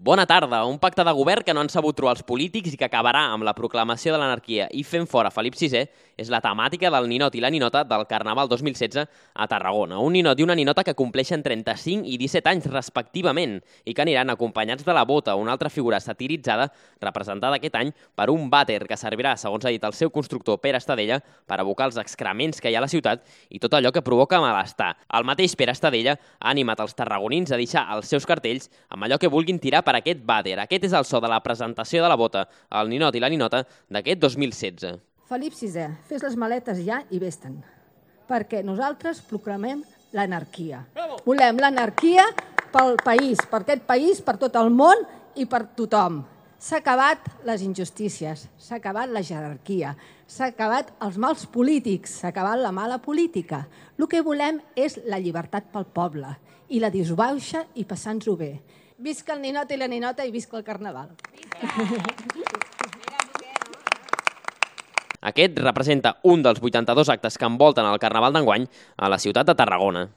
Bona tarda. Un pacte de govern que no han sabut trobar els polítics i que acabarà amb la proclamació de l'anarquia i fent fora Felip VI és la temàtica del ninot i la ninota del Carnaval 2016 a Tarragona. Un ninot i una ninota que compleixen 35 i 17 anys respectivament i que aniran acompanyats de la Bota, una altra figura satiritzada representada aquest any per un vàter que servirà, segons ha dit el seu constructor Pere Estadella, per abocar els excrements que hi ha a la ciutat i tot allò que provoca malestar. El mateix Pere Estadella ha animat els tarragonins a deixar els seus cartells amb allò que vulguin tirar per aquest vàter. Aquest és el so de la presentació de la Bota, el ninot i la ninota d'aquest 2016. Felip VI, fes les maletes ja i vés-te'n, perquè nosaltres proclamem l'anarquia. Volem l'anarquia pel país, per aquest país, per tot el món i per tothom. S'ha acabat les injustícies, s'ha acabat la jerarquia, s'ha acabat els mals polítics, s'ha acabat la mala política. El que volem és la llibertat pel poble i la disbauxa i passant-s'ho bé. Visca el ninot i la ninota i visca el Carnaval. Aquest representa un dels 82 actes que envolten el Carnaval d'enguany a la ciutat de Tarragona.